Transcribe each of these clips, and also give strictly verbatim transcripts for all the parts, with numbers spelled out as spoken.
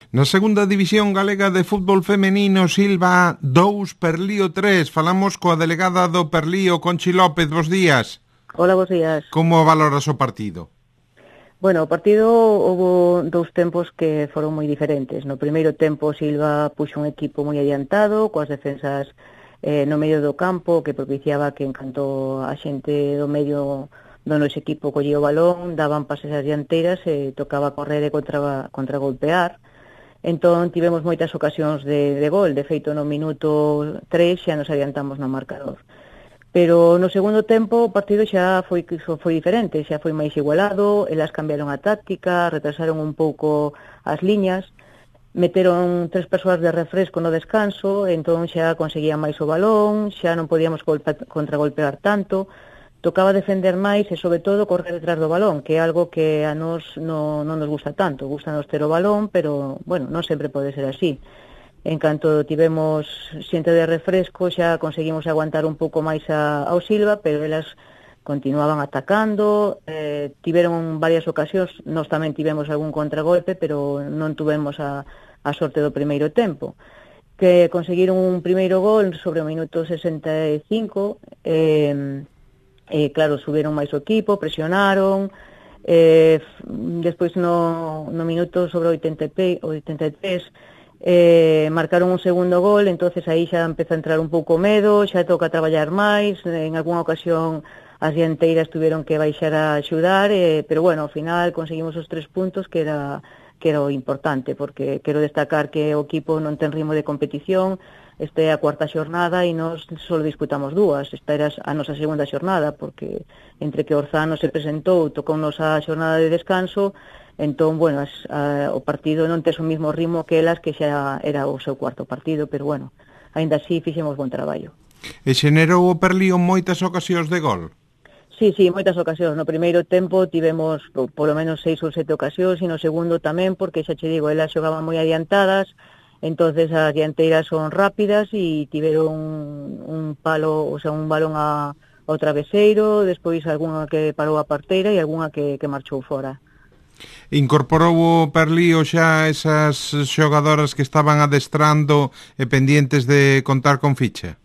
Na segunda división galega de fútbol femenino, Silva dous, Perlío tres. Falamos coa delegada do Perlío, Conchi López. Bos días. Hola, bos días. Como valoras o partido? Bueno, o partido houve dous tempos que foron moi diferentes. No primeiro tempo, Silva puxo un equipo moi adiantado, coas defensas eh, no medio do campo, que propiciaba que encanto a xente do medio do noso equipo collía o balón, daban pases ás dianteiras e tocaba correr e contra, contra golpear. Entón tivemos moitas ocasións de, de gol, de feito no minuto tres xa nos adiantamos no marcador. Pero no segundo tempo o partido xa foi, foi diferente, xa foi máis igualado, elas cambiaron a táctica, retrasaron un pouco as liñas, meteron tres persoas de refresco no descanso, entón xa conseguían máis o balón, xa non podíamos golpe, contragolpear tanto, tocaba defender máis e, sobre todo, correr detrás do balón, que é algo que a nos non, non nos gusta tanto. Gusta nos ter o balón, pero, bueno, non sempre pode ser así. En canto tivemos xente de refresco, xa conseguimos aguantar un pouco máis a, ao Silva, pero elas continuaban atacando, eh, tiveron varias ocasións, nós tamén tivemos algún contragolpe, pero non tuvemos a, a sorte do primeiro tempo. Que conseguiron un primeiro gol sobre o minuto sesenta e cinco, eh, E, claro, subiron máis o equipo, presionaron, eh, despois no, no minuto sobre o oitenta e tres eh, marcaron un segundo gol, entonces aí xa empeza a entrar un pouco medo, xa toca traballar máis, en algunha ocasión as dianteiras tuveron que baixar a axudar, eh, pero bueno, ao final conseguimos os tres puntos que era, que era o importante, porque quero destacar que o equipo non ten ritmo de competición. Esta é a cuarta xornada e nós só disputamos dúas. Esta era a nosa segunda xornada, porque entre que Orzano se presentou, tocounos a xornada de descanso, entón, bueno, as, a, o partido non tes o mismo ritmo que elas, que xa era o seu cuarto partido, pero bueno, aínda así fixemos bon traballo. E xenerou o Perlío moitas ocasións de gol? Sí, sí, moitas ocasións. No primeiro tempo tivemos polo menos seis ou sete ocasións, e no segundo tamén, porque xa che digo, elas xogaban moi adiantadas. Entonces as dianteiras son rápidas e tiveron un, un palo, o sea, un balón a, ao traveseiro, despois algunha que parou a parteira e algunha que, que marchou fora. Incorporou o Perlío xa esas xogadoras que estaban adestrando e pendientes de contar con ficha?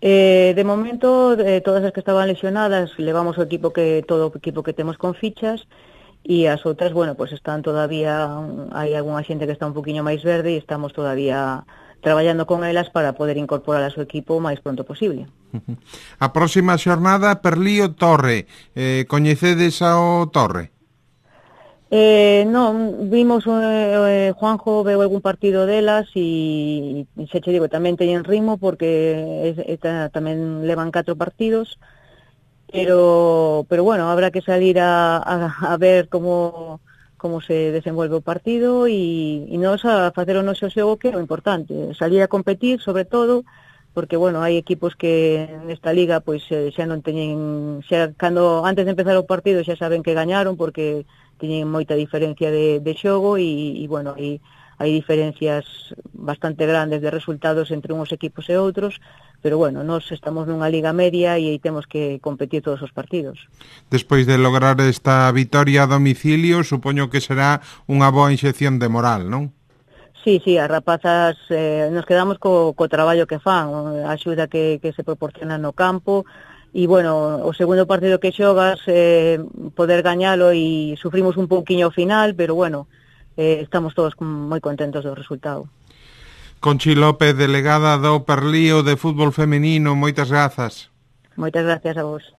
Eh, de momento, eh, todas as que estaban lesionadas, levamos o equipo que todo o equipo que temos con fichas, e as outras, bueno, pues están todavía, hai algunha xente que está un poquinho máis verde e estamos todavía traballando con elas para poder incorporar a seu equipo o máis pronto posible. A próxima xornada, Perlío Torre. Eh, coñecedes ao Torre? Eh, non, vimos, eh, Juanjo veu algún partido delas e, e xa che digo, tamén teñen ritmo porque es, esta, tamén levan catro partidos. Pero, pero bueno, habrá que salir a, a, a ver como, como se desenvolve o partido e, e nos a facer o noso xogo, que é o importante, salir a competir sobre todo, porque bueno, hai equipos que nesta liga pois xa non teñen, xa cando antes de empezar o partido xa saben que gañaron porque teñen moita diferencia de, de xogo e, e bueno, hai, hai diferencias bastante grandes de resultados entre uns equipos e outros, pero bueno, nós estamos nunha liga media e aí temos que competir todos os partidos. Despois de lograr esta vitoria a domicilio, supoño que será unha boa inxección de moral, non? Sí, sí, as rapazas eh, nos quedamos co, co traballo que fan, a axuda que, que se proporciona no campo, e bueno, o segundo partido que xogas, eh, poder gañalo e sufrimos un pouquiño ao final, pero bueno, eh, estamos todos moi contentos do resultado. Conchi López, delegada do Perlío de fútbol femenino, moitas grazas. Moitas gracias a vos.